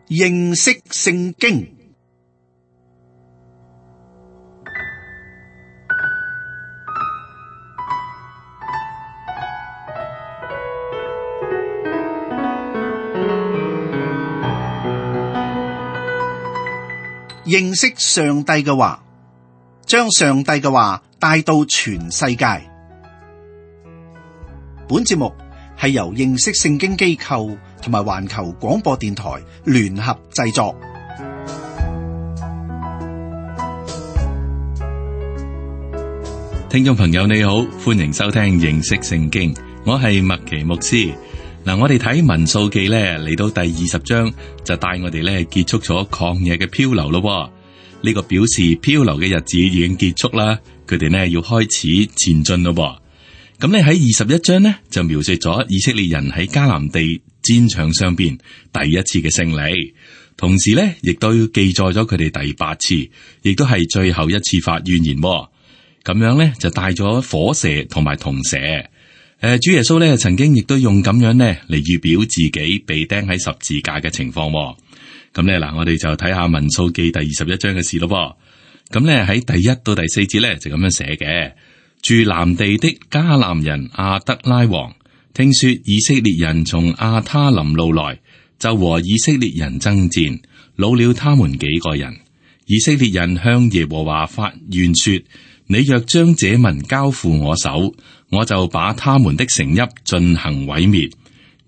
認識聖經。認識上帝嘅話，將上帝嘅話帶到全世界。本節目係由認識聖經機構同埋環球廣播電台聯合製作。聽眾朋友你好，歡迎收聽認識聖經，我係麥奇牧師。嗱，我哋睇民數記咧，嚟到第20章就帶我哋咧結束咗曠野嘅漂流咯。呢個表示漂流嘅日子已經結束啦，佢哋呢要開始前進咯。咁咧喺21章呢，就描述咗以色列人喺迦南地戰場上邊第一次嘅勝利，同時呢亦都記載咗佢哋第8次，亦都係最後一次發怨言。咁樣呢，就帶咗火蛇同埋銅蛇。主耶穌咧曾經亦都用咁樣呢嚟預表自己被釘喺十字架嘅情況。咁咧嗱，我哋就睇下民數記第21章嘅事咯。咁咧喺第1到第4節咧就咁樣寫嘅：住南地的迦南人亞德拉王，聽說以色列人從亞他林路來，就和以色列人爭戰，擄了他們幾個人。以色列人向耶和華發願說：你若將這民交付我手，我就把他們的城邑進行毀滅。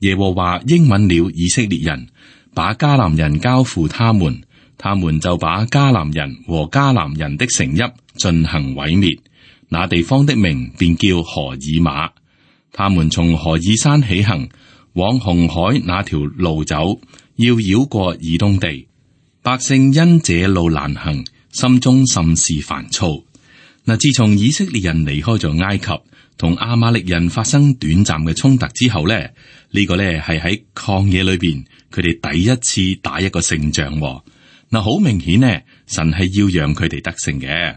耶和華應允了以色列人，把迦南人交付他們，他們就把迦南人和迦南人的城邑進行毀滅。那地方的名便叫何珥瑪。他們從何珥山起行，往紅海那條路走，要繞過以東地。百姓因這路難行，心中甚是煩躁。嗱，自從以色列人離開咗埃及，同亞瑪力人發生短暫嘅衝突之後咧，呢個咧係喺曠野裏邊佢哋第一次打一個勝仗。嗱，好明顯呢，神係要讓佢哋得勝嘅。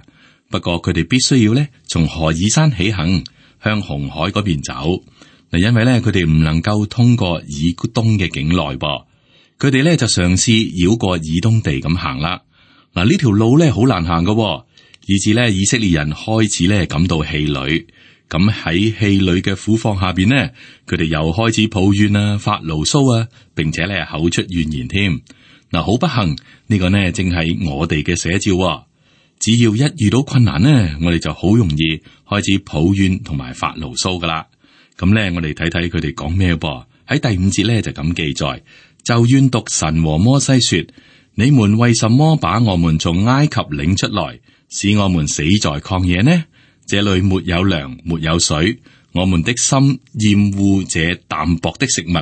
不過佢哋必須要咧從何珥山起行，向紅海嗰邊走。嗱，因為咧佢哋唔能夠通過以東嘅境內噃，佢哋咧就嘗試繞過以東地咁行啦。嗱，呢條路咧好難行噶，以至咧以色列人開始咧感到氣餒。咁喺氣餒嘅苦況下邊呢，佢哋又開始抱怨啊、發牢騷啊，並且咧口出怨言添。嗱，好不幸呢個呢，正係我哋嘅寫照。只要一遇到困難呢，我哋就好容易開始抱怨同埋發牢騷噶啦。咁咧，我哋睇睇佢哋講咩噃？喺第5節咧就咁記載：就怨毒神和摩西說，你們為什麼把我們從埃及領出來，使我們死在曠野呢？這裏沒有糧，沒有水，我們的心厭惡這淡薄的食物。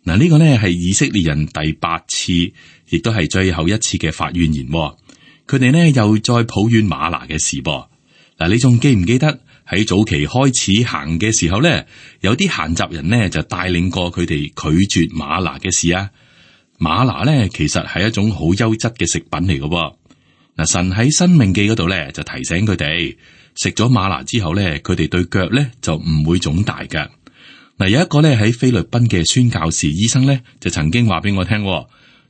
嗱，呢個呢係以色列人第8次，亦都係最後一次嘅發怨言。佢哋呢又再抱怨嗎哪嘅事噃。嗱，你仲記唔記得喺早期開始行嘅時候呢，有啲閒雜人呢就帶領過佢哋拒絕嗎哪嘅事啊？嗎哪呢其實係一種好優質嘅食品嚟嘅。嗱，神喺申命記嗰度呢就提醒佢哋，食咗嗎哪之後咧，佢哋對腳咧就唔會腫大嘅。嗱，有一個咧喺菲律賓嘅宣教士醫生咧，就曾經話俾我聽，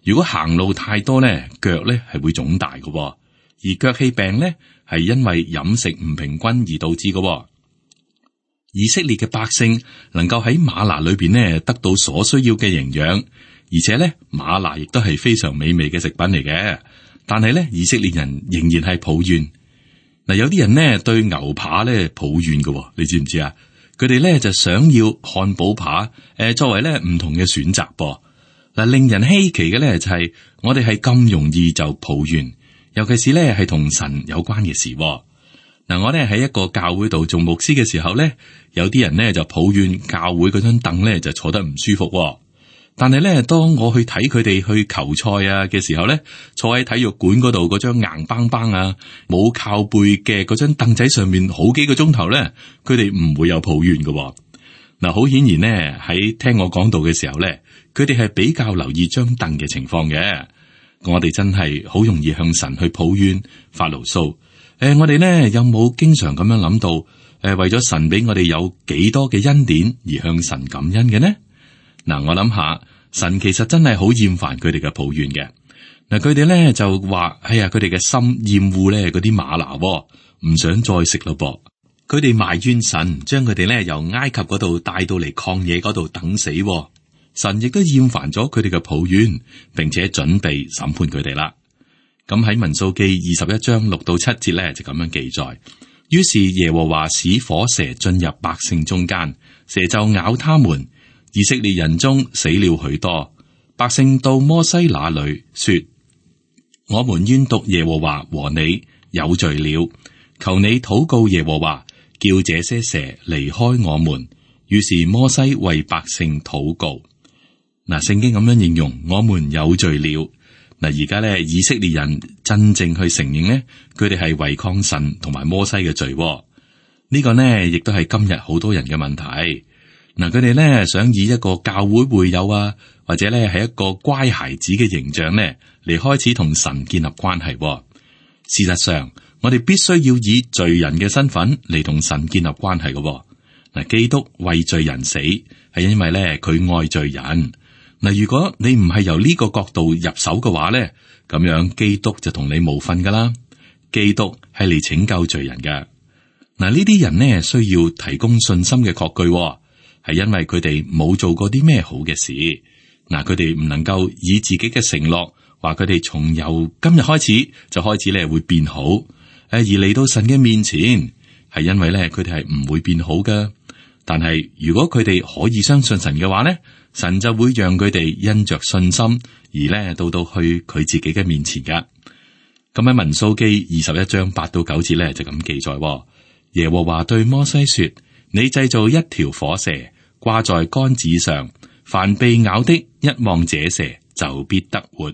如果行路太多咧，腳咧係會腫大嘅，而腳氣病咧係因為飲食唔平均而導致嘅。以色列嘅百姓能夠喺嗎哪裏邊咧得到所需要嘅營養，而且咧嗎哪亦都係非常美味嘅食品嚟嘅。但係咧，以色列人仍然係抱怨。嗱，有啲人呢對牛扒咧抱怨嘅，你知唔知啊？佢哋咧就想要漢堡扒，作為咧唔同嘅選擇噃。嗱，令人稀奇嘅咧就係我哋係咁容易就抱怨，尤其是咧係同神有關嘅事。嗱，我咧喺一個教會度做牧師嘅時候咧，有啲人呢就抱怨教會嗰張凳咧就坐得唔舒服。但係咧，當我去睇佢哋去球賽啊嘅時候咧，坐喺體育館嗰度嗰張硬邦邦啊冇靠背嘅嗰張凳仔上面好幾個鐘頭咧，佢哋唔會有抱怨嘅。嗱，好顯然呢，喺聽我講道嘅時候咧，佢哋係比較留意張凳嘅情況嘅。我哋真係好容易向神去抱怨發牢騷。我哋呢有冇經常咁樣諗到？為咗神俾我哋有幾多嘅恩典而向神感恩嘅呢？嗱，我諗下，神其實真係好厭煩佢哋嘅抱怨嘅。嗱，佢哋咧就話，哎呀，佢哋嘅心厭惡咧嗰啲嗎哪，唔想再食咯噃。佢哋埋怨神，將佢哋咧由埃及嗰度帶到嚟曠野嗰度等死。神亦都厭煩咗佢哋嘅抱怨，並且準備審判佢哋啦。咁喺民數記21章6到7節咧就咁樣記載。於是耶和華使火蛇進入百姓中間，蛇就咬他們。以色列人中死了許多。百姓到摩西那裏說：我們冤毒耶和華和你有罪了，求你禱告耶和華，叫這些蛇離開我們。於是摩西為百姓禱告。嗱，聖經咁樣形容我們有罪了。嗱，而家咧以色列人真正去承認呢，佢哋係違抗神同埋摩西嘅罪。呢個呢亦都係今日好多人嘅問題。嗱，佢哋咧想以一個教會會友啊，或者咧係一個乖孩子嘅形象呢，嚟開始同神建立關係。事實上，我哋必須要以罪人嘅身份嚟同神建立關係嘅。嗱，基督為罪人死，係因為咧佢愛罪人。嗱，如果你唔係由呢個角度入手嘅話咧，咁樣基督就同你無份噶啦。基督係嚟拯救罪人嘅。嗱，呢啲人呢需要提供信心嘅確據，係因為佢哋冇做過啲咩好嘅事。嗱，佢哋唔能夠以自己嘅承諾話佢哋從由今日開始就開始咧會變好，而嚟到神嘅面前，係因為咧佢哋係唔會變好噶。但係如果佢哋可以相信神嘅話咧，神就會讓佢哋因着信心而咧到去佢自己嘅面前噶。咁喺民數記21章8到9節咧就咁記載。耶和華對摩西說：你製造一條火蛇，掛在杆子上，凡被咬的，一望這蛇就必得活。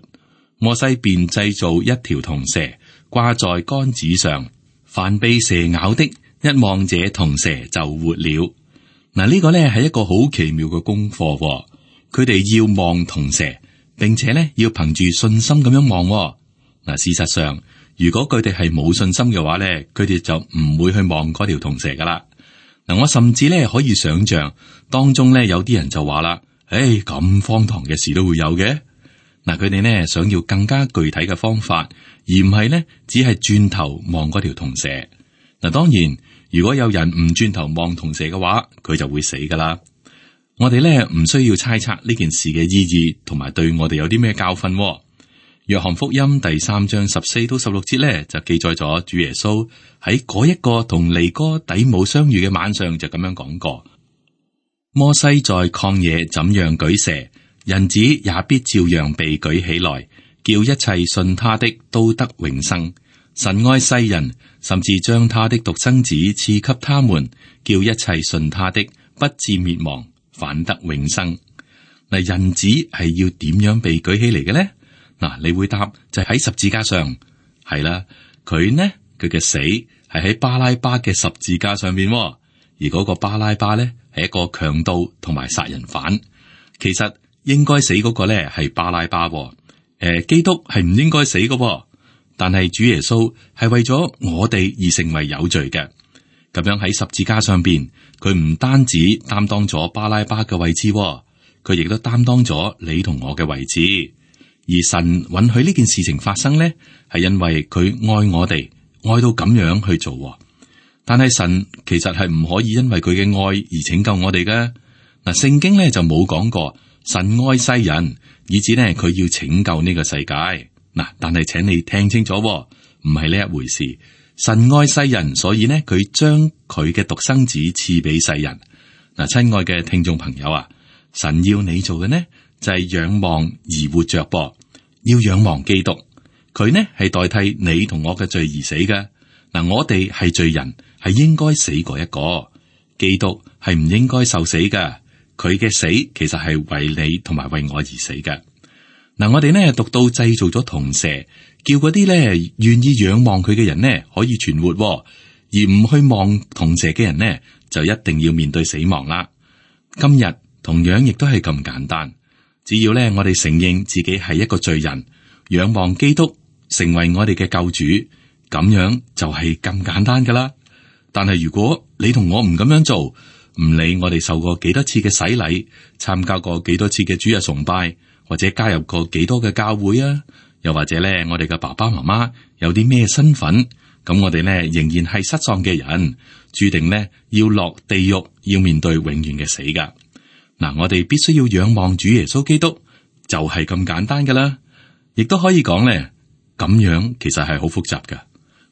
摩西便製造一條銅蛇，掛在杆子上，凡被蛇咬的，一望這銅蛇就活了。嗱，呢個呢係一個好奇妙嘅功課。佢哋要望銅蛇，並且呢要憑住信心咁樣望。嗱，事實上，如果佢哋係冇信心嘅話呢，佢哋就唔會去望嗰條銅蛇噶啦。嗱，我甚至呢可以想象當中呢有啲人就話啦：咁荒唐嘅事都會有嘅。嗱，佢哋呢想要更加具體嘅方法，而唔係呢只係轉頭望嗰條銅蛇。嗱，當然，如果有人唔轉頭望銅蛇嘅話，佢就會死噶啦。我哋咧唔需要猜測呢件事嘅意義，同埋對我哋有啲咩教訓。約翰福音第3章14到16節咧就記載咗主耶穌喺嗰一個同尼哥底母相遇嘅晚上就咁樣講過：摩西在曠野怎樣舉蛇，人子也必照樣被舉起來，叫一切信他的都得永生。神愛世人，甚至將他的獨生子賜給他們，叫一切信他的不至滅亡，反得永生。嗱，人子係要點樣被舉起嚟嘅呢？嗱，你會答就喺十字架上，係啦。佢嘅死係喺巴拉巴嘅十字架上邊，而嗰個巴拉巴咧係一個強盜同埋殺人犯。其實應該死嗰個咧係巴拉巴，基督係唔應該死嘅。但係主耶穌係為咗我哋而成為有罪嘅，咁樣喺十字架上邊，佢唔單止擔當咗巴拉巴嘅位置，佢亦都擔當咗你同我嘅位置。而神允許呢件事情發生呢，係因為佢愛我哋，愛到咁樣去做。但係神其實係唔可以因為佢嘅愛而拯救我哋嘅。嗱，聖經咧就冇講過神愛世人，以至呢佢要拯救呢個世界。嗱，但係請你聽清楚，唔係呢一回事。神愛世人，所以呢佢將佢嘅獨生子賜俾世人。嗱，親愛嘅聽眾朋友啊，神要你做嘅呢就係仰望而活着噃，要仰望基督。佢呢係代替你同我嘅罪而死嘅。嗱，我哋係罪人，係應該死過一個。基督係唔應該受死嘅，佢嘅死其實係為你同埋為我而死嘅。嗱，我哋呢讀到製造咗銅蛇，叫嗰啲呢願意仰望佢嘅人呢可以存活，而唔去望銅蛇嘅人呢就一定要面對死亡啦。今日同樣亦都係咁簡單，只要呢我哋承認自己係一個罪人，仰望基督成為我哋嘅救主，咁樣就係咁簡單噶啦。但係如果你同我唔咁樣做，唔理我哋受過幾多次嘅洗禮，參加過幾多次嘅主日崇拜，或者加入過幾多嘅教會啊，又或者咧我哋嘅爸爸媽媽有啲咩身份，咁我哋咧仍然係失喪嘅人，注定咧要落地獄，要面對永遠嘅死噶。嗱，我哋必須要仰望主耶穌基督，就係咁簡單噶啦。亦都可以講咧，咁樣其實係好複雜噶。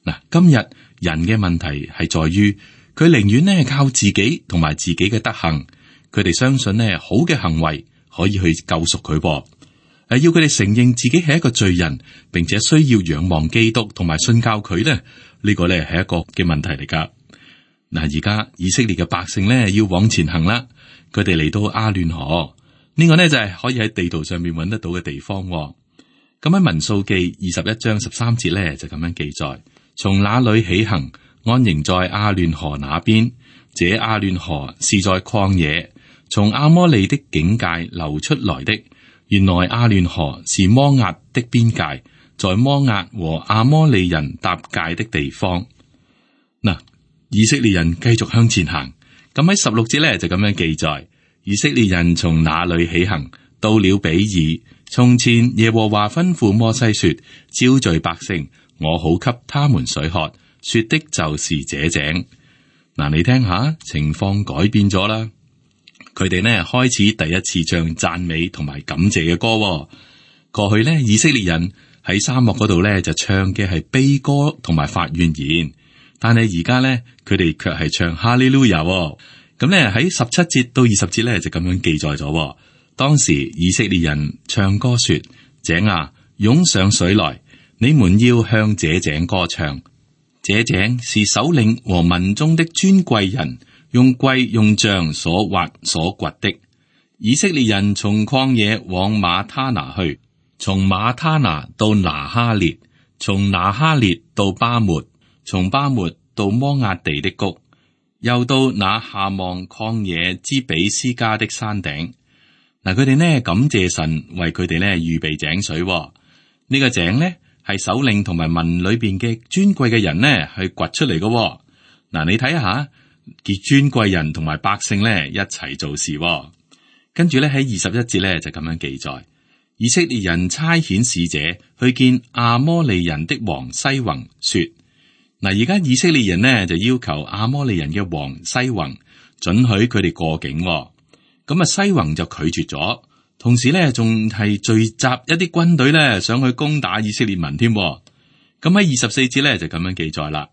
嗱，今日人嘅問題係在於，佢寧願咧靠自己同埋自己嘅德行，佢哋相信咧好嘅行為可以去救贖佢噃。要佢哋承認自己係一個罪人，並且需要仰望基督同埋信教佢咧，呢個咧係一個嘅問題嚟噶。嗱，而家以色列嘅百姓咧要往前行啦，佢哋嚟到亞嫩河，呢個呢就係可以喺地圖上面揾得到嘅地方。咁喺民數記21章13節咧就咁樣記載：從那裏起行，安營在亞嫩河那邊。這亞嫩河是在曠野，從亞摩利的境界流出來的。原來亞嫩河是摩押的邊界，在摩押和亞摩利人搭界的地方。嗱，以色列人繼續向前行。咁喺16節咧就咁樣記載：以色列人從那裏起行，到了比爾。從前耶和華吩咐摩西說：招聚百姓，我好給他們水喝。說的就是這井。嗱，你聽下，情況改變咗啦。佢哋呢開始第一次唱讚美同埋感謝嘅歌。過去呢，以色列人喺沙漠嗰度呢就唱嘅係悲歌同埋發怨言，但係而家呢，佢哋卻係唱哈利路亞。咁呢喺17節到20節呢就咁樣記載咗。當時以色列人唱歌說：井啊，湧上水來，你們要向這井歌唱。這井是首領和民中的尊貴人用貴用杖所挖所掘的。以色列人從曠野往馬他拿去，從馬他拿到拿哈列，從拿哈列到巴末，從巴末到摩押地的谷，又到那下望曠野之比斯加的山頂。嗱，佢哋呢感謝神為佢哋呢預備井水。呢個井呢係首領同埋民裏邊嘅尊貴嘅人呢去掘出嚟嘅。嗱，你睇下，結尊貴人同埋百姓呢一齊做事。跟住咧喺21節咧就咁樣記載：以色列人差遣使者去見亞摩利人的王西宏，說：嗱，而家以色列人呢就要求亞摩利人嘅王西宏准許佢哋過境。咁啊，西宏就拒絕咗，同時咧仲係聚集一啲軍隊咧，想去攻打以色列民添。咁喺24節咧就咁樣記載啦：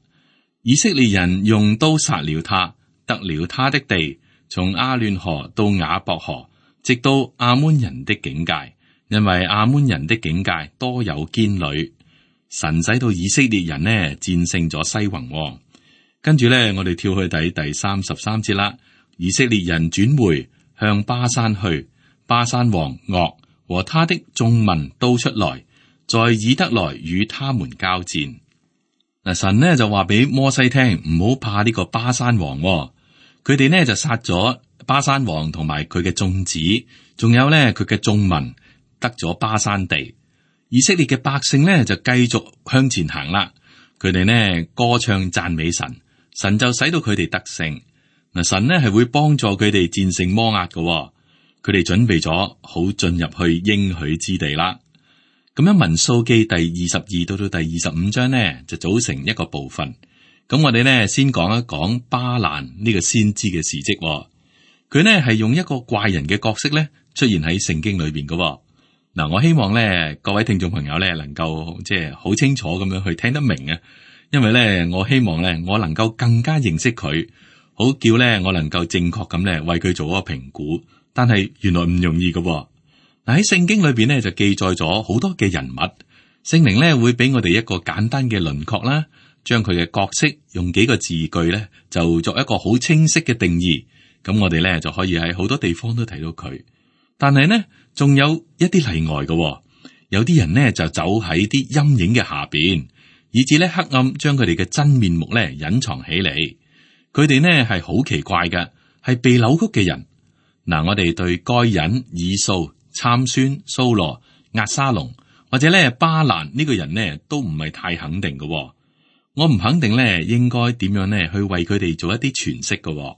以色列人用刀殺了他，得了他的地，從亞嫩河到雅博河，直到亞捫人的境界，因為亞捫人的境界多有堅壘。神使到以色列人呢戰勝咗西宏。跟住咧，我哋跳去第33節啦。以色列人轉回，向巴山去，巴山王噩和他的眾民都出來，在以得來與他們交戰。嗱，神呢就話俾摩西聽，唔好怕呢個巴山王。佢哋呢就殺咗巴山王同埋佢嘅眾子，仲有呢佢嘅眾民，得咗巴山地。以色列嘅百姓呢就繼續向前行啦。佢哋呢歌唱讚美神，神就使到佢哋得勝。嗱，神呢係會幫助佢哋戰勝摩押嘅。佢哋準備咗好進入去應許之地啦。咁樣民數記第22到第25章呢就組成一個部分。咁我哋呢先講一講巴蘭呢個先知嘅事蹟。佢呢係用一個怪人嘅角色呢出現喺聖經裏邊嘅。嗱，我希望呢各位聽眾朋友呢能夠即係好清楚咁樣去聽得明啊，因為呢我希望呢我能夠更加認識佢。好叫咧，我能夠正確咁咧為佢做一個評估，但係原來唔容易嘅。嗱，喺聖經裏邊咧就記載咗好多嘅人物，聖靈咧會俾我哋一個簡單嘅輪廓啦，將佢嘅角色用幾個字句咧就作一個好清晰嘅定義，咁我哋咧就可以喺好多地方都睇到佢。但係呢，仲有一啲例外嘅，有啲人呢就走喺啲陰影嘅下邊，以致咧黑暗將佢哋嘅真面目咧隱藏起嚟。佢哋呢係好奇怪嘅，係被扭曲嘅人。嗱，我哋對該隱、以掃、參孫、蘇羅、押沙龍或者咧巴蘭呢個人呢都唔係太肯定嘅。我唔肯定咧應該點樣咧去為佢哋做一啲詮釋嘅。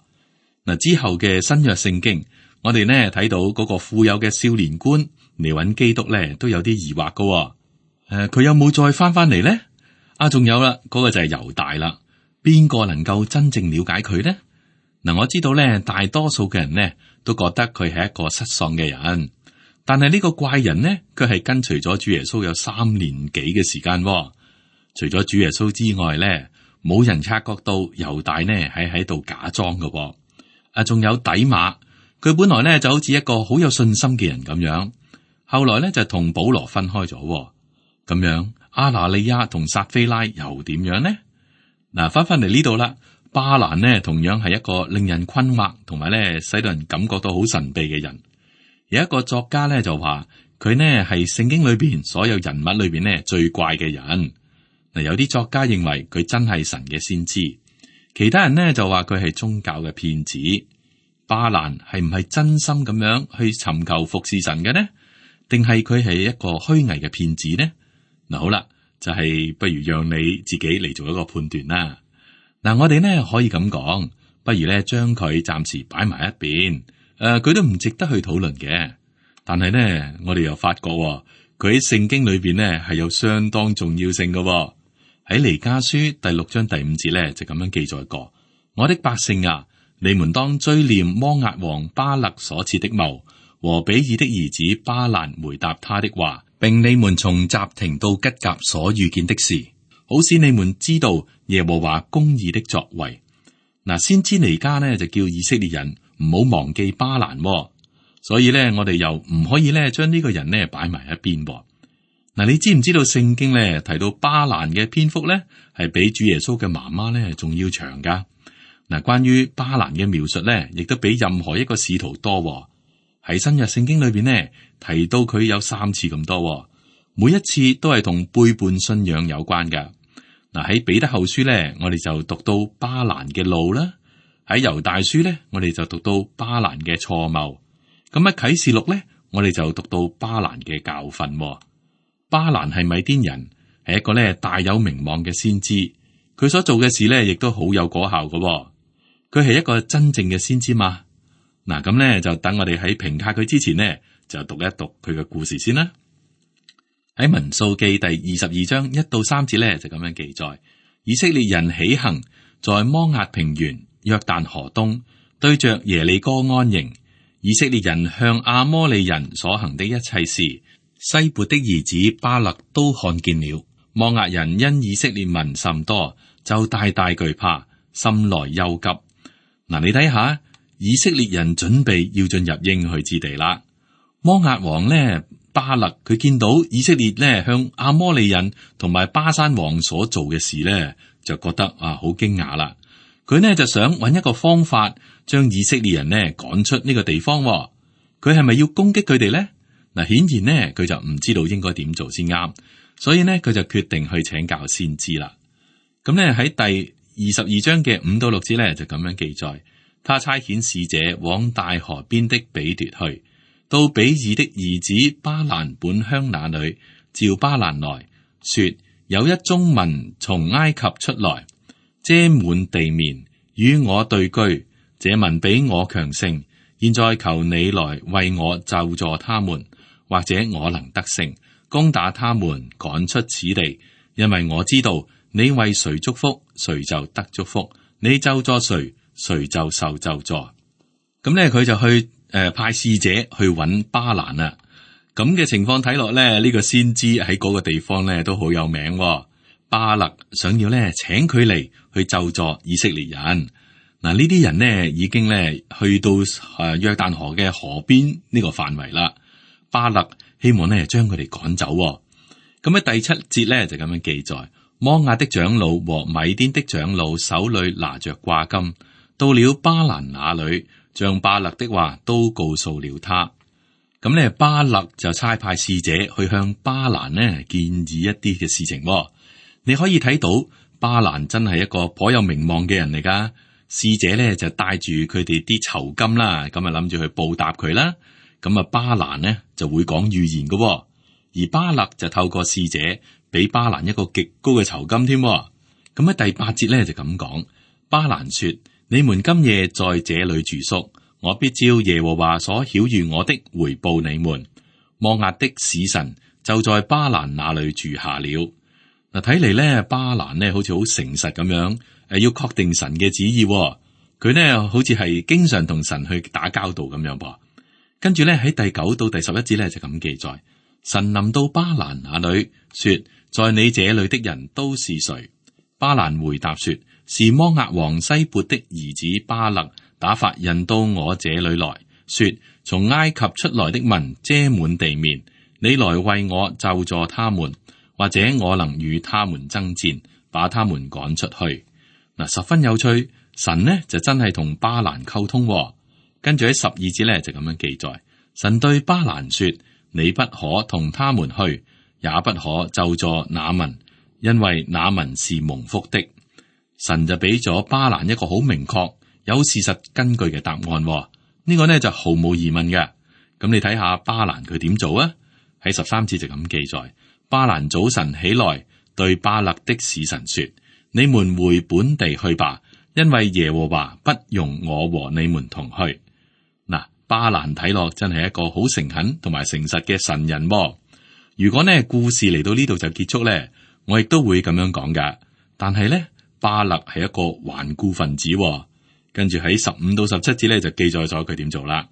嗱，之後嘅新約聖經，我哋呢睇到嗰個富有嘅少年官嚟揾基督咧，都有啲疑惑噶。佢有冇再翻嚟呢？仲有啦，嗰個就係猶大啦。邊個能夠真正了解佢呢？嗱，我知道咧，大多數嘅人呢都覺得佢係一個失喪嘅人，但係呢個怪人呢，佢係跟隨咗主耶穌有3年幾嘅時間。除咗主耶穌之外咧，冇人察覺到猶大呢係喺度假裝嘅。仲有底馬，佢本來咧就好似一個好有信心嘅人咁樣，後來咧就同保羅分開咗。咁樣阿拿利亞同撒非拉又點樣呢？嗱，翻嚟呢度啦，巴蘭呢同樣係一個令人困惑，同埋咧使到人感覺到好神秘嘅人。有一個作家咧就話佢呢係聖經裏邊所有人物裏邊呢最怪嘅人。嗱，有啲作家認為佢真係神嘅先知，其他人呢就話佢係宗教嘅騙子。巴蘭係唔係真心咁樣去尋求服侍神嘅呢？定係佢係一個虛偽嘅騙子呢？嗱，好啦，就係不如讓你自己嚟做一個判斷啦。嗱，我哋呢可以咁講，不如咧將佢暫時擺埋一邊。佢都唔值得去討論嘅。但係呢，我哋又發覺佢喺聖經裏邊呢係有相當重要性嘅。喺彌迦書第6章第5節咧就咁樣記載過：我的百姓啊，你們當追念摩押王巴勒所設的謀，和比爾的兒子巴蘭回答他的話，並你們從什亭到吉甲所遇見的事，好使你們知道耶和華公義的作為。嗱，先知彌迦呢就叫以色列人唔好忘記巴蘭，所以咧我哋又唔可以咧將呢個人呢擺埋一邊。嗱，你知唔知道聖經咧提到巴蘭嘅篇幅咧係比主耶穌嘅媽媽咧仲要長噶？嗱，關於巴蘭嘅描述咧，亦都比任何一個使徒多。喺新約聖經裏邊呢，提到佢有3次咁多，每一次都係同背叛信仰有關噶。嗱，喺彼得後書咧，我哋就讀到巴蘭嘅路啦；喺猶大書咧，我哋就讀到巴蘭嘅錯謬。咁喺啟示錄咧，我哋就讀到巴蘭嘅教訓。巴蘭係米甸人，係一個咧大有名望嘅先知，佢所做嘅事咧亦都好有果效嘅。佢係一個真正嘅先知嘛？嗱，咁咧就等我哋喺評價佢之前呢，就讀一讀佢嘅故事先啦。喺民數記第22章1到3節咧就咁樣記載：以色列人起行，在摩押平原約旦河東，對着耶利哥安營。以色列人向亞摩利人所行的一切事，西撥的兒子巴勒都看見了。摩押人因以色列民甚多，就大大懼怕，心來憂急。嗱，你睇下，以色列人準備要進入應許之地啦。摩押王呢，巴勒，佢見到以色列呢向亞摩利人同埋巴珊王所做嘅事呢，就覺得好驚訝啦。佢呢就想揾一個方法將以色列人呢趕出呢個地方。佢係咪要攻擊佢哋呢？嗱，顯然呢佢就唔知道應該點做先啱，所以呢佢就決定去請教先知啦。咁呢喺第22章嘅5到6節呢就咁樣記載：他差遣使者往大河邊的比奪去，到比爾的兒子巴蘭本鄉那裏，召巴蘭來說：有一眾民從埃及出來，遮滿地面，與我對居，這民比我強盛，現在求你來為我咒詛他們，或者我能得勝，攻打他們，趕出此地。因為我知道你為誰祝福，誰就得祝福；你咒詛誰，誰就受咒詛。咁呢，佢就去派使者去揾巴蘭啦。咁嘅情況睇落咧，呢個先知喺嗰個地方咧都好有名。巴勒想要咧請佢嚟去咒詛以色列人。嗱，呢啲人呢已經咧去到約旦河嘅河邊呢個範圍啦。巴勒希望咧將佢哋趕走。咁喺第7節咧就咁樣記載：摩押的長老和米甸的長老手裏拿着掛金，到了巴蘭那裏，將巴勒的話都告訴了他。咁咧巴勒就差派使者去向巴蘭呢建議一啲嘅事情。你可以睇到巴蘭真係一個頗有名望嘅人嚟噶。使者咧就帶住佢哋啲酬金啦，咁啊諗住去報答佢啦。咁啊巴蘭呢就會講預言嘅，而巴勒就透過使者俾巴蘭一個極高嘅酬金添。咁喺第8節咧就咁講：巴蘭說：你們今夜在這裏住宿，我必照耶和華所曉諭我的回報你們。摩押的使臣就在巴蘭那裏住下了。嗱，睇嚟咧，巴蘭呢好似好誠實咁樣，要確定神嘅旨意。佢呢好似係經常同神去打交道咁樣噃。跟住咧喺第9到第11節咧就咁記載：神臨到巴蘭那裏，說：在你這裏的人都是誰？巴蘭回答說：是摩押王西撥的兒子巴勒打發人到我這裏來，說：從埃及出來的民遮滿地面，你來為我咒詛他們，或者我能與他們爭戰，把他們趕出去。嗱，十分有趣。神呢就真係同巴蘭溝通。跟住喺12節咧就咁樣記載：神對巴蘭說：你不可同他們去，也不可咒詛那民，因為那民是蒙福的。神就俾咗巴蘭一個好明確、有事實根據嘅答案。呢個呢就毫無疑問嘅。咁你睇下巴蘭佢點做啊？喺13節就咁記載：巴蘭早晨起來，對巴勒的使臣說：你們回本地去吧，因為耶和華不容我和你們同去。嗱，巴蘭睇落真係一個好誠懇同埋誠實嘅神人。如果呢故事嚟到呢度就結束咧，我亦都會咁樣講噶。但係咧，巴勒係一個頑固分子。跟住喺15到17節咧就記載咗佢點做啦。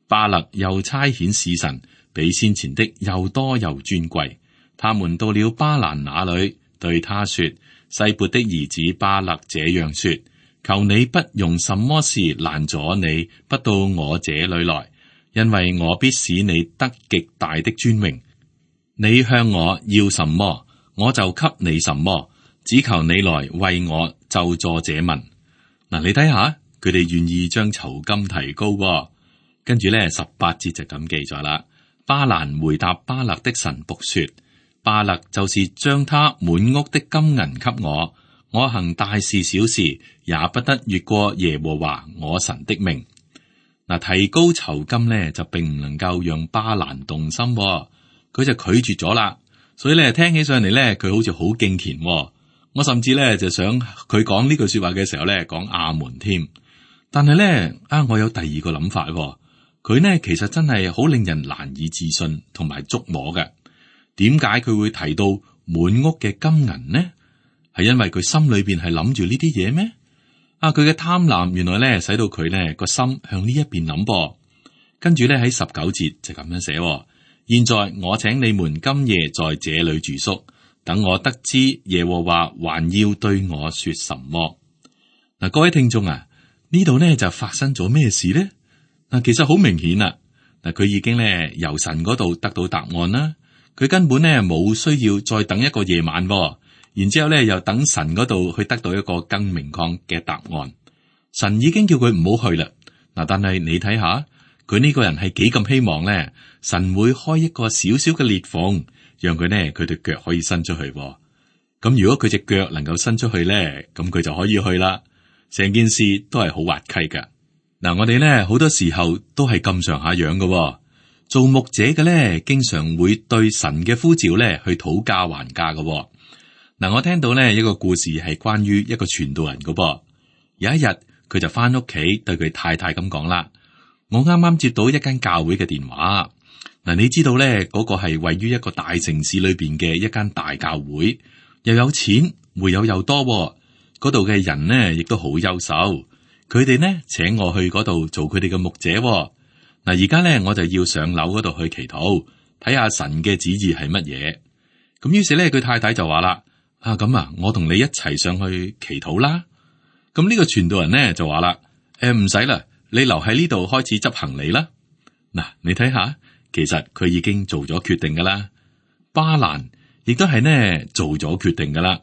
巴勒又差遣使臣，比先前的又多又尊貴。他們到了巴蘭那裏，對他說：西撥的兒子巴勒這樣說：求你不用什麼事攔阻你不到我這裏來，因為我必使你得極大的尊榮。你向我要什麼，我就給你什麼，只求你來為我咒詛這民。嗱，你睇下佢哋願意將酬金提高。跟住咧18節就咁記載啦。巴蘭回答巴勒的臣僕說：巴勒就是將他滿屋的金銀給我，我行大事小事也不得越過耶和華我神的命。嗱，提高酬金咧就並唔能夠讓巴蘭動心，佢就拒絕咗啦。所以咧聽起上嚟咧，佢好似好敬虔。我甚至咧就想佢講呢句說話嘅時候咧講阿門添。但係咧我有第二個諗法。佢呢其實真係好令人難以置信同埋觸摸嘅。點解佢會提到滿屋嘅金銀呢？係因為佢心裏邊係諗住呢啲嘢咩？佢嘅貪婪原來咧使到佢咧個心向呢一邊諗噃。跟住咧喺19節就咁樣寫：現在我請你們今夜在這裏住宿，等我得知耶和華還要對我說什麼。嗱，各位聽眾啊，呢度咧就發生咗咩事呢？其實好明顯啦。佢已經咧由神嗰度得到答案啦。佢根本咧冇需要再等一個夜晚，然之後咧又等神嗰度去得到一個更明確嘅答案。神已經叫佢唔好去啦。但係你睇下佢呢個人係幾咁希望咧，神會開一個小小嘅裂縫，讓佢咧佢對腳可以伸出去。咁如果佢隻腳能夠伸出去咧，咁佢就可以去啦。成件事都係好滑稽噶。我哋咧好多時候都係咁上下樣噶。做牧者嘅咧，經常會對神嘅呼召咧去討價還價噶。我聽到咧一個故事係關於一個傳道人噶噃。有一日佢就翻屋企對佢太太咁講啦：我啱啱接到一間教會嘅電話。你知道咧嗰個係位於一個大城市裏邊嘅一間大教會，又有錢，會友又多，嗰度嘅人呢亦都好優秀。佢哋呢請我去嗰度做佢哋嘅牧者。而家咧我就要上樓嗰度去祈禱，睇下神嘅旨意係乜嘢。咁於是咧佢太太就話啦：咁我同你一齊上去祈禱啦。咁呢個傳道人呢就話啦：唔使啦，你留喺呢度開始執行李啦。你睇下，其實佢已經做咗決定噶啦。巴蘭亦都係呢做咗決定噶啦。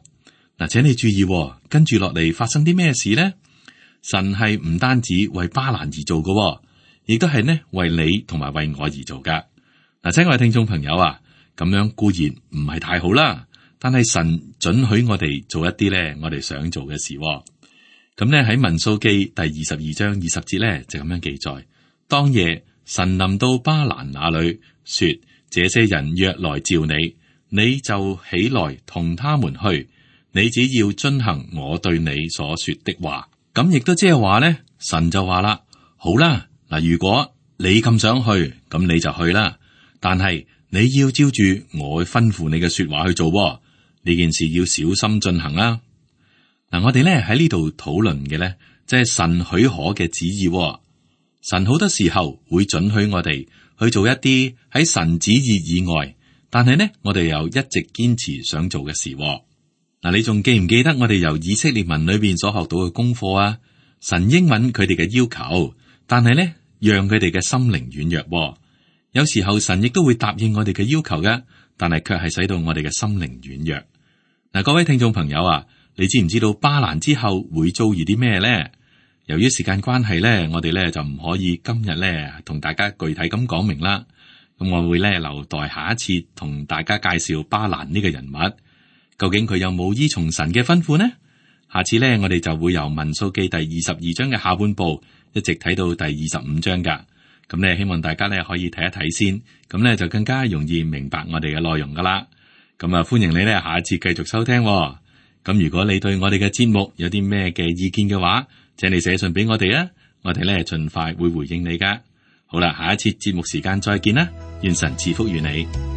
請你注意，跟住落嚟發生啲咩事呢？神係唔單止為巴蘭而做噶，亦都係呢為你同埋為我而做噶。親愛嘅聽眾朋友啊，咁樣固然唔係太好啦，但係神准許我哋做一啲咧我哋想做嘅事。咁咧喺民數記第22章20節咧就咁樣記載：當夜神臨到巴蘭那裏，說：這些人若來召你，你就起來同他們去，你只要遵行我對你所說的話。咁亦都即係話咧，神就話啦，好啦，嗱，如果你咁想去，咁你就去啦。但係你要照住我吩咐你嘅說話去做，呢件事要小心進行啦。嗱，我哋咧喺呢度討論嘅咧，即係神許可嘅旨意。神好多時候會准許我哋去做一啲喺神旨意以外，但係呢，我哋又一直堅持想做嘅事。嗱，你仲記唔記得我哋由以色列文裏邊所學到嘅功課啊？神應允佢哋嘅要求，但係呢，讓佢哋嘅心靈軟弱。有時候神亦都會答應我哋嘅要求嘅，但係卻係使到我哋嘅心靈軟弱。嗱，各位聽眾朋友啊，你知唔知道巴蘭之後會遭遇啲咩呢？由於時間關係咧，我哋咧就唔可以今日咧同大家具體咁講明啦。咁我會咧留待下一次同大家介紹巴蘭呢個人物，究竟佢有冇依從神嘅吩咐呢？下次咧我哋就會由民數記第22章嘅下半部一直睇到第25章噶。咁咧希望大家咧可以睇一睇先，咁咧就更加容易明白我哋嘅內容噶啦。咁啊，歡迎你咧下一次繼續收聽。咁如果你對我哋嘅節目有啲咩嘅意見嘅話，請你寫信俾我哋啊，我哋咧盡快會回應你噶。好啦，下一次節目時間再見啦，願神賜福於你。